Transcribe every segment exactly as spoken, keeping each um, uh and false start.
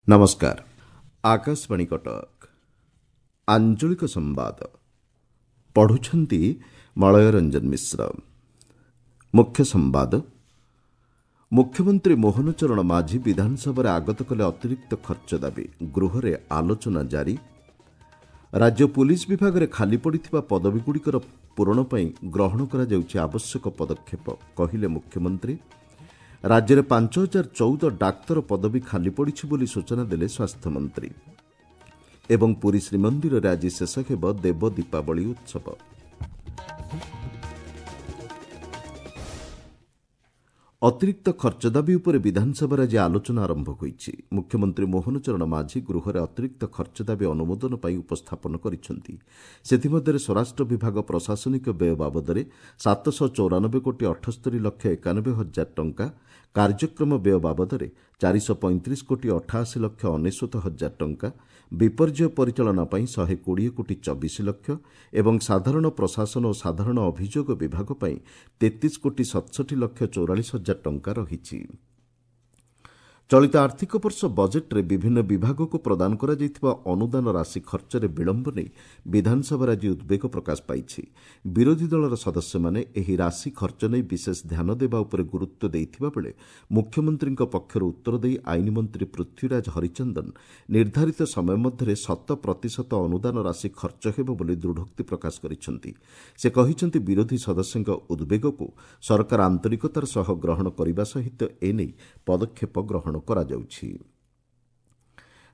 ନମସ୍କାର ଆକାଶବାଣୀ କଟକ ଆଞ୍ଚଳିକ ସମ୍ବାଦ ପଢୁଛନ୍ତି ମଳୟ ରଞ୍ଜନ ମିଶ୍ର ମୁଖ୍ୟ ସମ୍ବାଦ ମୁଖ୍ୟମନ୍ତ୍ରୀ ମୋହନ ଚରଣ ମାଝୀ ବିଧାନସଭାରେ ଆଗତ କଲେ ଅତିରିକ୍ତ ଖର୍ଚ୍ଚ ଦାବି ଗୃହରେ ଆଲୋଚନା ଜାରି ରାଜ୍ୟ ପୁଲିସ୍ ବିଭାଗରେ ଖାଲି ପଡ଼ିଥିବା ପଦବୀଗୁଡ଼ିକର ପୂରଣ ପାଇଁ ଗ୍ରହଣ କରାଯାଉଛି ଆବଶ୍ୟକ ପଦକ୍ଷେପ କହିଲେ ମୁଖ୍ୟମନ୍ତ୍ରୀ ରାଜ୍ୟରେ ପାଞ୍ଚ ହଜାର ଚଉଦ ଡାକ୍ତର ପଦବୀ ଖାଲି ପଡ଼ିଛି ବୋଲି ସୂଚନା ଦେଲେ ସ୍ୱାସ୍ଥ୍ୟମନ୍ତ୍ରୀ ଏବଂ ପୁରୀ ଶ୍ରୀମନ୍ଦିରରେ ଆଜି ଶେଷ ହେବ ଦେବ ଦୀପାବଳି ଉତ୍ସବ ଅତିରିକ୍ତ ଖର୍ଚ୍ଚ ଦାବି ଉପରେ ବିଧାନସଭାରେ ଆଜି ଆଲୋଚନା ଆରମ୍ଭ ହୋଇଛି ମୁଖ୍ୟମନ୍ତ୍ରୀ ମୋହନ ଚରଣ ମାଝୀ ଗୃହରେ ଅତିରିକ୍ତ ଖର୍ଚ୍ଚ ଦାବି ଅନୁମୋଦନ ପାଇଁ ଉପସ୍ଥାପନ କରିଛନ୍ତି ସେଥିମଧ୍ୟରେ ସ୍ୱରାଷ୍ଟ୍ର ବିଭାଗ ପ୍ରଶାସନିକ ବ୍ୟୟ ବାବଦରେ ସାତଶହ ଚଉରାନବେ କୋଟି ଅଠସ୍ତରୀ ଲକ୍ଷ ଏକାନବେ ହଜାର ଟଙ୍କା କାର୍ଯ୍ୟକ୍ରମ ବ୍ୟୟ ବାବଦରେ ଚାରିଶହ ପଇଁତିରିଶ କୋଟି ଅଠାଅଶୀ ଲକ୍ଷ ଅନେଶ୍ୱତ ହଜାର ଟଙ୍କା ବିପର୍ଯ୍ୟୟ ପରିଚାଳନା ପାଇଁ ଶହେ କୋଡ଼ିଏ କୋଟି ଚବିଶ ଲକ୍ଷ ଏବଂ ସାଧାରଣ ପ୍ରଶାସନ ଓ ସାଧାରଣ ଅଭିଯୋଗ ବିଭାଗ ପାଇଁ ତେତିଶ କୋଟି ସତଷଠି ଲକ୍ଷ ଚଉରାଳିଶ ହଜାର ଟଙ୍କା ରହିଛି ଚଳିତ ଆର୍ଥିକ ବର୍ଷ ବଜେଟ୍ରେ ବିଭିନ୍ନ ବିଭାଗକୁ ପ୍ରଦାନ କରାଯାଇଥିବା ଅନୁଦାନ ରାଶି ଖର୍ଚ୍ଚରେ ବିଳମ୍ବ ନେଇ ବିଧାନସଭାରେ ଆଜି ଉଦ୍ବେଗ ପ୍ରକାଶ ପାଇଛି ବିରୋଧୀ ଦଳର ସଦସ୍ୟମାନେ ଏହି ରାଶି ଖର୍ଚ୍ଚ ନେଇ ବିଶେଷ ଧ୍ୟାନ ଦେବା ଉପରେ ଗୁରୁତ୍ୱ ଦେଇଥିବା ବେଳେ ମୁଖ୍ୟମନ୍ତ୍ରୀଙ୍କ ପକ୍ଷରୁ ଉତ୍ତର ଦେଇ ଆଇନ ମନ୍ତ୍ରୀ ପୃଥ୍ୱୀରାଜ ହରିଚନ୍ଦନ ନିର୍ଦ୍ଧାରିତ ସମୟ ମଧ୍ୟରେ ଶତ ପ୍ରତିଶତ ଅନୁଦାନ ରାଶି ଖର୍ଚ୍ଚ ହେବ ବୋଲି ଦୃଢ଼ୋକ୍ତି ପ୍ରକାଶ କରିଛନ୍ତି ସେ କହିଛନ୍ତି ବିରୋଧୀ ସଦସ୍ୟଙ୍କ ଉଦ୍ବେଗକୁ ସରକାର ଆନ୍ତରିକତାର ସହ ଗ୍ରହଣ କରିବା ସହିତ ଏନେଇ ପଦକ୍ଷେପ ଗ୍ରହଣ କରାଯାଉଛି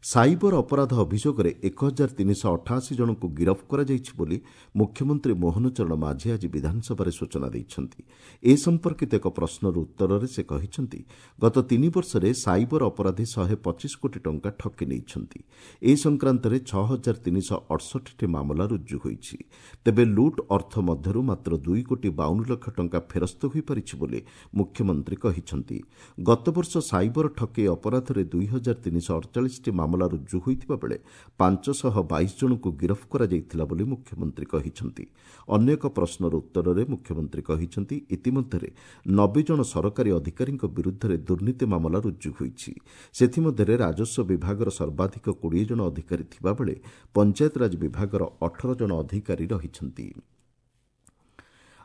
ସାଇବର ଅପରାଧ ଅଭିଯୋଗରେ ଏକ ହଜାର ତିନିଶହ ଅଠାଅଶୀ ଜଣଙ୍କୁ ଗିରଫ କରାଯାଇଛି ବୋଲି ମୁଖ୍ୟମନ୍ତ୍ରୀ ମୋହନ ଚରଣ ମାଝୀ ଆଜି ବିଧାନସଭାରେ ସୂଚନା ଦେଇଛନ୍ତି ଏ ସମ୍ପର୍କିତ ଏକ ପ୍ରଶ୍ନର ଉତ୍ତରରେ ସେ କହିଛନ୍ତି ଗତ ତିନି ବର୍ଷରେ ସାଇବର ଅପରାଧୀ ଶହେ ପଚିଶ କୋଟି ଟଙ୍କା ଠକି ନେଇଛନ୍ତି ଏ ସଂକ୍ରାନ୍ତରେ ଛଅ ହଜାର ତିନିଶହ ଅଠଷଠିଟି ମାମଲା ରୁଜୁ ହୋଇଛି ତେବେ ଲୁଟ୍ ଅର୍ଥ ମଧ୍ୟରୁ ମାତ୍ର ଦୁଇ କୋଟି ବାଉନ ଲକ୍ଷ ଟଙ୍କା ଫେରସ୍ତ ହୋଇପାରିଛି ବୋଲି ମୁଖ୍ୟମନ୍ତ୍ରୀ କହିଛନ୍ତି ଗତବର୍ଷ ସାଇବର ଠକେଇ ଅପରାଧରେ ଦୁଇ ହଜାର ତିନିଶହ ଅଡ଼ଚାଳିଶଟି ମାମଲା ରୁଜୁ ହୋଇଥିବା ବେଳେ ପାଞ୍ଚଶହ ବାଇଶ ଜଣଙ୍କୁ ଗିରଫ କରାଯାଇଥିଲା ବୋଲି ମୁଖ୍ୟମନ୍ତ୍ରୀ କହିଛନ୍ତି ଅନ୍ୟ ଏକ ପ୍ରଶ୍ନର ଉତ୍ତରରେ ମୁଖ୍ୟମନ୍ତ୍ରୀ କହିଛନ୍ତି ଇତିମଧ୍ୟରେ ନବେ ଜଣ ସରକାରୀ ଅଧିକାରୀଙ୍କ ବିରୁଦ୍ଧରେ ଦୁର୍ନୀତି ମାମଲା ରୁଜୁ ହୋଇଛି ସେଥିମଧ୍ୟରେ ରାଜସ୍ୱ ବିଭାଗର ସର୍ବାଧିକ କୋଡ଼ିଏ ଜଣ ଅଧିକାରୀ ଥିବାବେଳେ ପଞ୍ଚାୟତରାଜ ବିଭାଗର ଅଠର ଜଣ ଅଧିକାରୀ ରହିଛନ୍ତି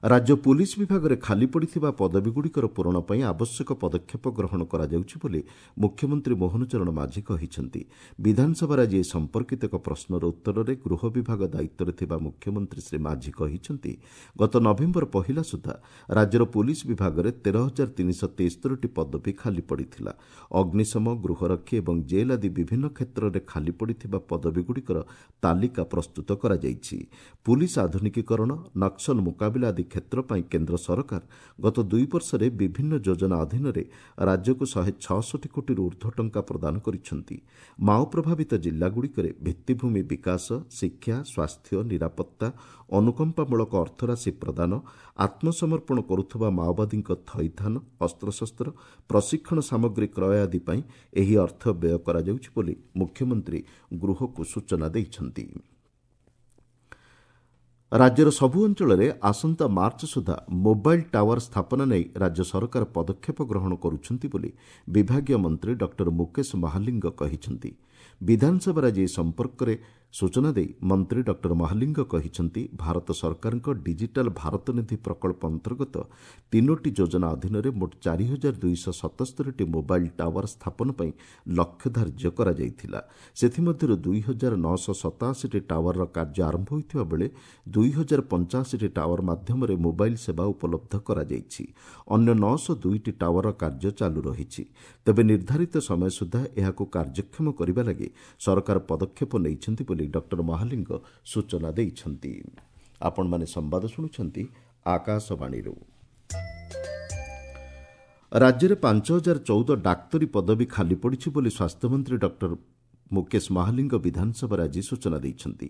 ରାଜ୍ୟ ପୁଲିସ୍ ବିଭାଗରେ ଖାଲି ପଡ଼ିଥିବା ପଦବୀଗୁଡ଼ିକର ପୂରଣ ପାଇଁ ଆବଶ୍ୟକ ପଦକ୍ଷେପ ଗ୍ରହଣ କରାଯାଉଛି ବୋଲି ମୁଖ୍ୟମନ୍ତ୍ରୀ ମୋହନ ଚରଣ ମାଝୀ କହିଛନ୍ତି ବିଧାନସଭାରେ ଆଜି ଏ ସମ୍ପର୍କିତ ଏକ ପ୍ରଶ୍ନର ଉତ୍ତରରେ ଗୃହ ବିଭାଗ ଦାୟିତ୍ୱରେ ଥିବା ମୁଖ୍ୟମନ୍ତ୍ରୀ ଶ୍ରୀ ମାଝୀ କହିଛନ୍ତି ଗତ ନଭେମ୍ବର ପହିଲା ସୁଦ୍ଧା ରାଜ୍ୟର ପୁଲିସ୍ ବିଭାଗରେ ତେର ହଜାର ତିନିଶହ ତେସ୍ତରୀଟି ପଦବୀ ଖାଲି ପଡ଼ିଥିଲା ଅଗ୍ନିଶମ ଗୃହରକ୍ଷୀ ଏବଂ ଜେଲ୍ ଆଦି ବିଭିନ୍ନ କ୍ଷେତ୍ରରେ ଖାଲି ପଡ଼ିଥିବା ପଦବୀଗୁଡ଼ିକର ତାଲିକା ପ୍ରସ୍ତୁତ କରାଯାଇଛି ପୁଲିସ୍ ଆଧୁନିକୀକରଣ ନକ୍ସଲ ମୁକାବିଲା ଆଦି କ୍ଷେତ୍ର ପାଇଁ କେନ୍ଦ୍ର ସରକାର ଗତ ଦୁଇ ବର୍ଷରେ ବିଭିନ୍ନ ଯୋଜନା ଅଧୀନରେ ରାଜ୍ୟକୁ ଶହେ ଛଅଷଠି କୋଟିରୁ ଉର୍ଦ୍ଧ୍ୱ ଟଙ୍କା ପ୍ରଦାନ କରିଛନ୍ତି ମାଓ ପ୍ରଭାବିତ ଜିଲ୍ଲାଗୁଡ଼ିକରେ ଭିତ୍ତିଭୂମି ବିକାଶ ଶିକ୍ଷା ସ୍ୱାସ୍ଥ୍ୟ ନିରାପତ୍ତା ଅନୁକମ୍ପାମୂଳକ ଅର୍ଥରାଶି ପ୍ରଦାନ ଆତ୍ମସମର୍ପଣ କରୁଥିବା ମାଓବାଦୀଙ୍କ ଥଇଥାନ ଅସ୍ତ୍ରଶସ୍ତ୍ର ପ୍ରଶିକ୍ଷଣ ସାମଗ୍ରୀ କ୍ରୟ ଆଦି ପାଇଁ ଏହି ଅର୍ଥ ବ୍ୟୟ କରାଯାଉଛି ବୋଲି ମୁଖ୍ୟମନ୍ତ୍ରୀ ଗୃହକୁ ସୂଚନା ଦେଇଛନ୍ତି ରାଜ୍ୟର ସବୁ ଅଞ୍ଚଳରେ ଆସନ୍ତା ମାର୍ଚ୍ଚ ସୁଦ୍ଧା ମୋବାଇଲ୍ ଟାୱାର ସ୍ଥାପନ ନେଇ ରାଜ୍ୟ ସରକାର ପଦକ୍ଷେପ ଗ୍ରହଣ କରୁଛନ୍ତି ବୋଲି ବିଭାଗୀୟ ମନ୍ତ୍ରୀ ଡକ୍ଟର ମୁକେଶ ମହାଲିଙ୍ଗ କହିଛନ୍ତି ବିଧାନସଭାରେ ଆଜି ଏ ସମ୍ପର୍କରେ ସୂଚନା ଦେଇ ମନ୍ତ୍ରୀ ଡକ୍ଟର ମହାଲିଙ୍ଗ କହିଛନ୍ତି ଭାରତ ସରକାରଙ୍କ ଡିଜିଟାଲ ଭାରତ ନିଧି ପ୍ରକଳ୍ପ ଅନ୍ତର୍ଗତ ତିନୋଟି ଯୋଜନା ଅଧୀନରେ ମୋଟ ଚାରି ହଜାର ଦୁଇଶହ ସତସ୍ତରୀଟି ମୋବାଇଲ୍ ଟାୱାର ସ୍ଥାପନ ପାଇଁ ଲକ୍ଷ୍ୟ ଧାର୍ଯ୍ୟ କରାଯାଇଥିଲା ସେଥିମଧ୍ୟରୁ ଦୁଇ ହଜାର ନଅଶହ ସତାଅଶୀଟି ଟାୱାରର କାର୍ଯ୍ୟ ଆରମ୍ଭ ହୋଇଥିବା ବେଳେ ଦୁଇ ହଜାର ପଞ୍ଚାଅଶୀଟି ଟାୱାର ମାଧ୍ୟମରେ ମୋବାଇଲ୍ ସେବା ଉପଲବ୍ଧ କରାଯାଇଛି ଅନ୍ୟ ନଅଶହ ଦୁଇଟି ଟାୱାରର କାର୍ଯ୍ୟ ଚାଲୁ ରହିଛି ତେବେ ନିର୍ଦ୍ଧାରିତ ସମୟ ସୁଦ୍ଧା ଏହାକୁ କାର୍ଯ୍ୟକ୍ଷମ କରିବା ଲାଗି ସରକାର ପଦକ୍ଷେପ ନେଇଛନ୍ତି ବୋଲି ଡକ୍ଟର ମହାଲିଙ୍ଗ ସୂଚନା ଦେଇଛନ୍ତି ଆପଣମାନେ ସମ୍ବାଦ ଶୁଣୁଛନ୍ତି ଆକାଶବାଣୀରୁ ରାଜ୍ୟରେ ପାଞ୍ଚ ହଜାର ଚଉଦ ଡାକ୍ତରୀ ପଦବୀ ଖାଲି ପଡ଼ିଛି ବୋଲି ସ୍ୱାସ୍ଥ୍ୟମନ୍ତ୍ରୀ ଡକ୍ଟର ମୁକେଶ ମହାଲିଙ୍ଗ ବିଧାନସଭାରେ ଆଜି ସୂଚନା ଦେଇଛନ୍ତି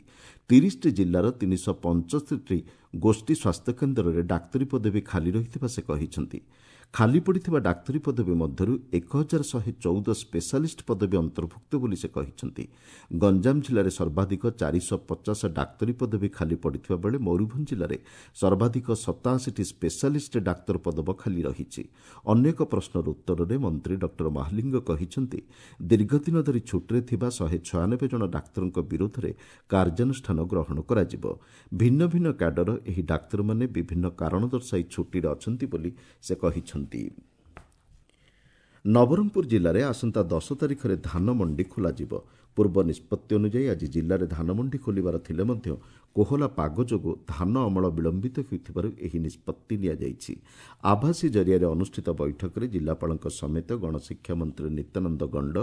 ତିରିଶଟି ଜିଲ୍ଲାର ତିନିଶହ ପଞ୍ଚସ୍ତରୀଟି ଗୋଷ୍ଠୀ ସ୍ୱାସ୍ଥ୍ୟକେନ୍ଦ୍ରରେ ଡାକ୍ତରୀ ପଦବୀ ଖାଲି ରହିଥିବା ସେ କହିଛନ୍ତି ଖାଲି ପଡ଼ିଥିବା ଡାକ୍ତରୀ ପଦବୀ ମଧ୍ୟରୁ ଏକ ହଜାର ଶହେ ଚଉଦ ସ୍ପେଶାଲିଷ୍ଟ ପଦବୀ ଅନ୍ତର୍ଭୁକ୍ତ ବୋଲି ସେ କହିଛନ୍ତି। ଗଞ୍ଜାମ ଜିଲ୍ଲାରେ ସର୍ବାଧିକ ଚାରିଶହ ପଚାଶ ଡାକ୍ତରୀ ପଦବୀ ଖାଲି ପଡ଼ିଥିବା ବେଳେ ମୟୂରଭଞ୍ଜ ଜିଲ୍ଲାରେ ସର୍ବାଧିକ ସତାଅଶୀଟି ସ୍ପେଶାଲିଷ୍ଟ ଡାକ୍ତର ପଦବ ଖାଲି ରହିଛି। ଅନ୍ୟ ଏକ ପ୍ରଶ୍ନର ଉତ୍ତରରେ ମନ୍ତ୍ରୀ ଡକ୍ଟର ମହାଲିଙ୍ଗ କହିଛନ୍ତି, ଦୀର୍ଘଦିନ ଧରି ଛୁଟିରେ ଥିବା ଶହେ ଛୟାନବେ ଜଣ ଡାକ୍ତରଙ୍କ ବିରୋଧରେ କାର୍ଯ୍ୟାନୁଷ୍ଠାନ ଗ୍ରହଣ କରାଯିବ। ଭିନ୍ନ ଭିନ୍ନ କ୍ୟାଡର ଏହି ଡାକ୍ତରମାନେ ବିଭିନ୍ନ କାରଣ ଦର୍ଶାଇ ଛୁଟିରେ ଅଛନ୍ତି ବୋଲି ସେ କହିଛନ୍ତି। ନବରଙ୍ଗପୁର ଜିଲ୍ଲାରେ ଆସନ୍ତା ଦଶ ତାରିଖରେ ଧାନ ମଣ୍ଡି ଖୋଲାଯିବ। ପୂର୍ବ ନିଷ୍ପତ୍ତି ଅନୁଯାୟୀ ଆଜି ଜିଲ୍ଲାରେ ଧାନମଣ୍ଡି ଖୋଲିବାର ଥିଲେ ମଧ୍ୟ କୋହଲା ପାଗ ଯୋଗୁଁ ଧାନ ଅମଳ ବିଳମ୍ବିତ ହେଉଥିବାରୁ ଏହି ନିଷ୍ପତ୍ତି ନିଆଯାଇଛି। ଆଭାସୀ ଜରିଆରେ ଅନୁଷ୍ଠିତ ବୈଠକରେ ଜିଲ୍ଲାପାଳଙ୍କ ସମେତ ଗଣଶିକ୍ଷା ମନ୍ତ୍ରୀ ନିତ୍ୟାନନ୍ଦ ଗଣ୍ଡ,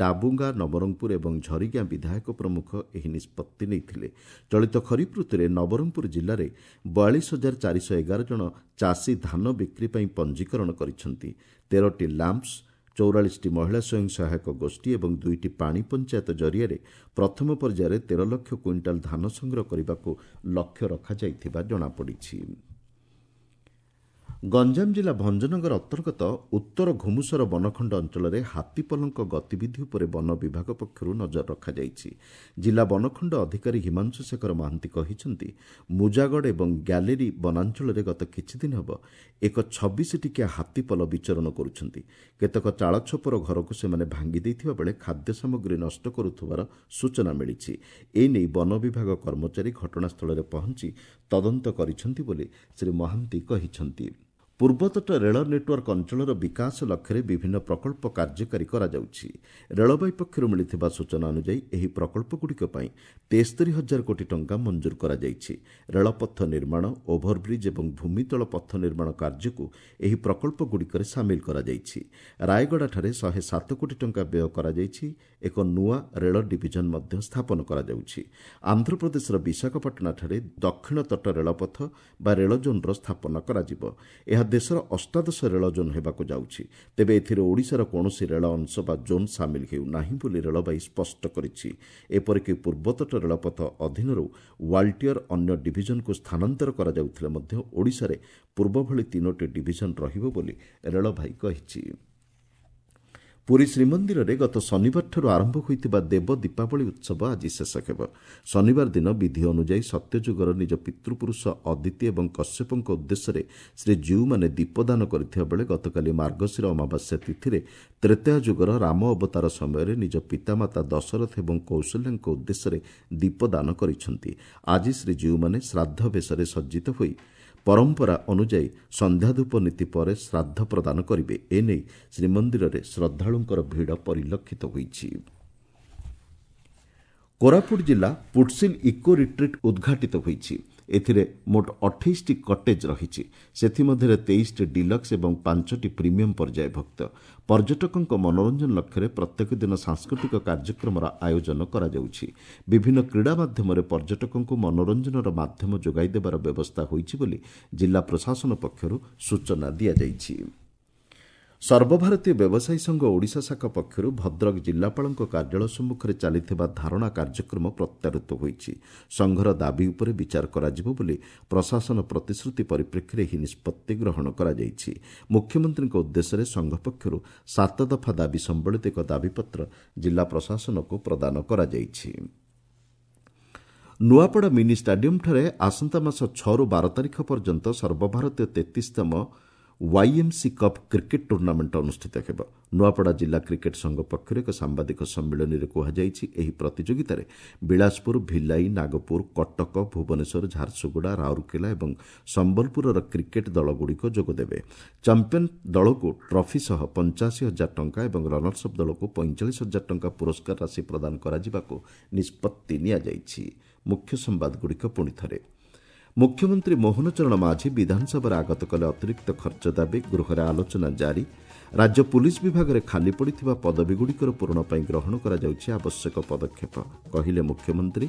ଡାବୁଙ୍ଗା, ନବରଙ୍ଗପୁର ଏବଂ ଝରିଗାଁ ବିଧାୟକ ପ୍ରମୁଖ ଏହି ନିଷ୍ପତ୍ତି ନେଇଥିଲେ। ଚଳିତ ଖରିଫ ଋତୁରେ ନବରଙ୍ଗପୁର ଜିଲ୍ଲାରେ ବୟାଳିଶ ହଜାର ଚାରିଶହ ଏଗାର ଜଣ ଚାଷୀ ଧାନ ବିକ୍ରି ପାଇଁ ପଞ୍ଜୀକରଣ କରିଛନ୍ତି। ତେରଟି ଲ୍ୟାମ୍ପସ୍, ଚଉରାଳିଶଟି ମହିଳା ସ୍ୱୟଂ ସହାୟକ ଗୋଷ୍ଠୀ ଏବଂ ଦୁଇଟି ପାଣି ପଞ୍ଚାୟତ ଜରିଆରେ ପ୍ରଥମ ପର୍ଯ୍ୟାୟରେ ତେର ଲକ୍ଷ କୁଇଣ୍ଟାଲ ଧାନ ସଂଗ୍ରହ କରିବାକୁ ଲକ୍ଷ୍ୟ ରଖାଯାଇଥିବା ଜଣାପଡ଼ିଛି। ଗଞ୍ଜାମ ଜିଲ୍ଲା ଭଞ୍ଜନଗର ଅନ୍ତର୍ଗତ ଉତ୍ତର ଘୁମୁସର ବନଖଣ୍ଡ ଅଞ୍ଚଳରେ ହାତୀପଲଙ୍କ ଗତିବିଧି ଉପରେ ବନ ବିଭାଗ ପକ୍ଷରୁ ନଜର ରଖାଯାଇଛି। ଜିଲ୍ଲା ବନଖଣ୍ଡ ଅଧିକାରୀ ହିମାଂଶୁ ଶେଖର ମହାନ୍ତି କହିଛନ୍ତି, ମୁଜାଗଡ଼ ଏବଂ ଗ୍ୟାଲେରୀ ବନାଞ୍ଚଳରେ ଗତ କିଛିଦିନ ହେବ ଏକ ଛବିଶ ଟିକିଆ ହାତୀପଲ ବିଚରଣ କରୁଛନ୍ତି। କେତେକ ଚାଳଛପର ଘରକୁ ସେମାନେ ଭାଙ୍ଗି ଦେଇଥିବା ବେଳେ ଖାଦ୍ୟ ସାମଗ୍ରୀ ନଷ୍ଟ କରୁଥିବାର ସୂଚନା ମିଳିଛି। ଏନେଇ ବନ ବିଭାଗ କର୍ମଚାରୀ ଘଟଣାସ୍ଥଳରେ ପହଞ୍ଚି ତଦନ୍ତ କରିଛନ୍ତି ବୋଲି ଶ୍ରୀ ମହାନ୍ତି କହିଛନ୍ତି। ପୂର୍ବତଟ ରେଳ ନେଟୱାର୍କ ଅଞ୍ଚଳର ବିକାଶ ଲକ୍ଷ୍ୟରେ ବିଭିନ୍ନ ପ୍ରକଳ୍ପ କାର୍ଯ୍ୟକାରୀ କରାଯାଉଛି। ରେଳବାଇ ପକ୍ଷରୁ ମିଳିଥିବା ସୂଚନା ଅନୁଯାୟୀ ଏହି ପ୍ରକଳ୍ପଗୁଡ଼ିକ ପାଇଁ ତେସ୍ତରୀ ହଜାର କୋଟି ଟଙ୍କା ମଞ୍ଜୁର କରାଯାଇଛି। ରେଳପଥ ନିର୍ମାଣ, ଓଭରବ୍ରିଜ୍ ଏବଂ ଭୂମିତଳ ପଥ ନିର୍ମାଣ କାର୍ଯ୍ୟକୁ ଏହି ପ୍ରକଳ୍ପଗୁଡ଼ିକରେ ସାମିଲ କରାଯାଇଛି। ରାୟଗଡ଼ାଠାରେ ଶହେ ସାତ କୋଟି ଟଙ୍କା ବ୍ୟୟ କରାଯାଇଛି। ଏକ ନୂଆ ରେଳ ଡିଭିଜନ ମଧ୍ୟ ସ୍ଥାପନ କରାଯାଉଛି। ଆନ୍ଧ୍ରପ୍ରଦେଶର ବିଶାଖାପାଟଣାଠାରେ ଦକ୍ଷିଣ ତଟ ରେଳପଥ ବା ରେଳ ଜୋନ୍ର ସ୍ଥାପନ କରାଯିବ। ଏହା ଦେଶର ଅଷ୍ଟାଦଶ ରେଳ ଜୋନ୍ ହେବାକୁ ଯାଉଛି। ତେବେ ଏଥିରେ ଓଡ଼ିଶାର କୌଣସି ରେଳ ଅଂଶ ବା ଜୋନ୍ ସାମିଲ ହେଉନାହିଁ ବୋଲି ରେଳବାଇ ସ୍ପଷ୍ଟ କରିଛି। ଏପରିକି ପୂର୍ବତଟ ରେଳପଥ ଅଧୀନରୁ ୱାଲ୍ଟିୟର ଅନ୍ୟ ଡିଭିଜନକୁ ସ୍ଥାନାନ୍ତର କରାଯାଉଥିଲେ ମଧ୍ୟ ଓଡ଼ିଶାରେ ପୂର୍ବଭଳି ତିନୋଟି ଡିଭିଜନ ରହିବ ବୋଲି ରେଳବାଇ କହିଛି। ପୁରୀ ଶ୍ରୀମନ୍ଦିରରେ ଗତ ଶନିବାରଠାରୁ ଆରମ୍ଭ ହୋଇଥିବା ଦେବ ଦୀପାବଳି ଉତ୍ସବ ଆଜି ଶେଷ ହେବ। ଶନିବାର ଦିନ ବିଧି ଅନୁଯାୟୀ ସତ୍ୟଯୁଗର ନିଜ ପିତୃପୁରୁଷ ଅଦିତି ଏବଂ କଶ୍ୟପଙ୍କ ଉଦ୍ଦେଶ୍ୟରେ ଶ୍ରୀଜୀଉମାନେ ଦୀପଦାନ କରିଥିବା ବେଳେ ଗତକାଲି ମାର୍ଗଶିର ଅମାବାସ୍ୟା ତିଥିରେ ତ୍ରେତୟା ଯୁଗର ରାମ ଅବତାର ସମୟରେ ନିଜ ପିତାମାତା ଦଶରଥ ଏବଂ କୌଶଲ୍ୟାଙ୍କ ଉଦ୍ଦେଶ୍ୟରେ ଦୀପଦାନ କରିଛନ୍ତି। ଆଜି ଶ୍ରୀଜୀଉମାନେ ଶ୍ରାଦ୍ଧ ବେଶରେ ସଜ୍ଜିତ ହୋଇ ପରମ୍ପରା ଅନୁଯାୟୀ ସନ୍ଧ୍ୟାଧୂପ ନୀତି ପରେ ଶ୍ରାଦ୍ଧ ପ୍ରଦାନ କରିବେ। ଏନେଇ ଶ୍ରୀମନ୍ଦିରରେ ଶ୍ରଦ୍ଧାଳୁଙ୍କର ଭିଡ଼ ପରିଲକ୍ଷିତ ହୋଇଛି। କୋରାପୁଟ ଜିଲ୍ଲା ପୁଟସିଲ୍ ଇକୋ ରିଟ୍ରିଟ୍ ଉଦ୍ଘାଟିତ ହୋଇଛି। ଏଥିରେ ମୋଟ ଅଠେଇଶଟି କଟେଜ୍ ରହିଛି। ସେଥିମଧ୍ୟରେ ତେଇଶଟି ଡିଲକ୍ସ ଏବଂ ପାଞ୍ଚଟି ପ୍ରିମିୟମ୍ ପର୍ଯ୍ୟାୟଭୁକ୍ତ। ପର୍ଯ୍ୟଟକଙ୍କ ମନୋରଞ୍ଜନ ଲକ୍ଷ୍ୟରେ ପ୍ରତ୍ୟେକ ଦିନ ସାଂସ୍କୃତିକ କାର୍ଯ୍ୟକ୍ରମର ଆୟୋଜନ କରାଯାଉଛି। ବିଭିନ୍ନ କ୍ରୀଡ଼ା ମାଧ୍ୟମରେ ପର୍ଯ୍ୟଟକଙ୍କୁ ମନୋରଞ୍ଜନର ମାଧ୍ୟମ ଯୋଗାଇ ଦେବାର ବ୍ୟବସ୍ଥା ହୋଇଛି ବୋଲି ଜିଲ୍ଲା ପ୍ରଶାସନ ପକ୍ଷରୁ ସୂଚନା ଦିଆଯାଇଛି। ସର୍ବଭାରତୀୟ ବ୍ୟବସାୟୀ ସଂଘ ଓଡ଼ିଶା ଶାଖା ପକ୍ଷରୁ ଭଦ୍ରକ ଜିଲ୍ଲାପାଳଙ୍କ କାର୍ଯ୍ୟାଳୟ ସମ୍ମୁଖରେ ଚାଲିଥିବା ଧାରଣା କାର୍ଯ୍ୟକ୍ରମ ପ୍ରତ୍ୟାହୃତ ହୋଇଛି। ସଂଘର ଦାବି ଉପରେ ବିଚାର କରାଯିବ ବୋଲି ପ୍ରଶାସନ ପ୍ରତିଶ୍ରୁତି ପରିପ୍ରେକ୍ଷୀରେ ଏହି ନିଷ୍ପତ୍ତି ଗ୍ରହଣ କରାଯାଇଛି। ମୁଖ୍ୟମନ୍ତ୍ରୀଙ୍କ ଉଦ୍ଦେଶ୍ୟରେ ସଂଘ ପକ୍ଷରୁ ସାତ ଦଫା ଦାବି ସମ୍ବଳିତ ଏକ ଦାବିପତ୍ର ଜିଲ୍ଲା ପ୍ରଶାସନକୁ ପ୍ରଦାନ କରାଯାଇଛି। ନୂଆପଡ଼ା ମିନି ଷ୍ଟାଡିୟମ୍ଠାରେ ଆସନ୍ତା ମାସ ଛଅରୁ ବାର ତାରିଖ ପର୍ଯ୍ୟନ୍ତ ସର୍ବଭାରତୀୟ ତେତିଶତମ ୱାଇଏମ୍ସି କପ୍ କ୍ରିକେଟ୍ ଟୁର୍ଣ୍ଣାମେଣ୍ଟ ଅନୁଷ୍ଠିତ ହେବ। ନୂଆପଡ଼ା ଜିଲ୍ଲା କ୍ରିକେଟ୍ ସଂଘ ପକ୍ଷରୁ ଏକ ସାମ୍ବାଦିକ ସମ୍ମିଳନୀରେ କୁହାଯାଇଛି, ଏହି ପ୍ରତିଯୋଗିତାରେ ବିଳାସପୁର, ଭିଲାଇ, ନାଗପୁର, କଟକ, ଭୁବନେଶ୍ୱର, ଝାରସୁଗୁଡ଼ା, ରାଉରକେଲା ଏବଂ ସମ୍ବଲପୁରର କ୍ରିକେଟ୍ ଦଳଗୁଡ଼ିକ ଯୋଗଦେବେ। ଚାମ୍ପିୟନ୍ ଦଳକୁ ଟ୍ରଫି ସହ ପଞ୍ଚାଅଶୀ ହଜାର ଟଙ୍କା ଏବଂ ରନର୍ସ ଅପ୍ ଦଳକୁ ପଇଁଚାଳିଶ ହଜାର ଟଙ୍କା ପୁରସ୍କାର ରାଶି ପ୍ରଦାନ କରାଯିବାକୁ ନିଷ୍ପତ୍ତି ନିଆଯାଇଛି। ମୁଖ୍ୟ ସମ୍ବାଦଗୁଡ଼ିକ ପୁଣି ଥରେ। ମୁଖ୍ୟମନ୍ତ୍ରୀ ମୋହନ ଚରଣ ମାଝୀ ବିଧାନସଭାରେ ଆଗତ କଲେ ଅତିରିକ୍ତ ଖର୍ଚ୍ଚ ଦାବି, ଗୃହରେ ଆଲୋଚନା ଜାରି। ରାଜ୍ୟ ପୁଲିସ୍ ବିଭାଗରେ ଖାଲି ପଡ଼ିଥିବା ପଦବୀଗୁଡ଼ିକର ପୂରଣ ପାଇଁ ଗ୍ରହଣ କରାଯାଉଛି ଆବଶ୍ୟକ ପଦକ୍ଷେପ, କହିଲେ ମୁଖ୍ୟମନ୍ତ୍ରୀ।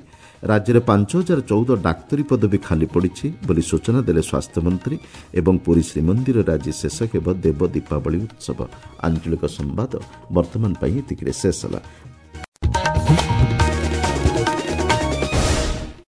ରାଜ୍ୟରେ ପାଞ୍ଚ ହଜାର ଚଉଦ ଡାକ୍ତରୀ ପଦବୀ ଖାଲି ପଡ଼ିଛି ବୋଲି ସୂଚନା ଦେଲେ ସ୍ୱାସ୍ଥ୍ୟମନ୍ତ୍ରୀ। ଏବଂ ପୁରୀ ଶ୍ରୀମନ୍ଦିରରେ ଆଜି ଶେଷ ହେବ ଦେବ ଦୀପାବଳି ଉତ୍ସବ। ଆଞ୍ଚଳିକ ସମ୍ବାଦ ବର୍ତ୍ତମାନ ପାଇଁ ଏତିକିରେ ଶେଷ ହେଲା।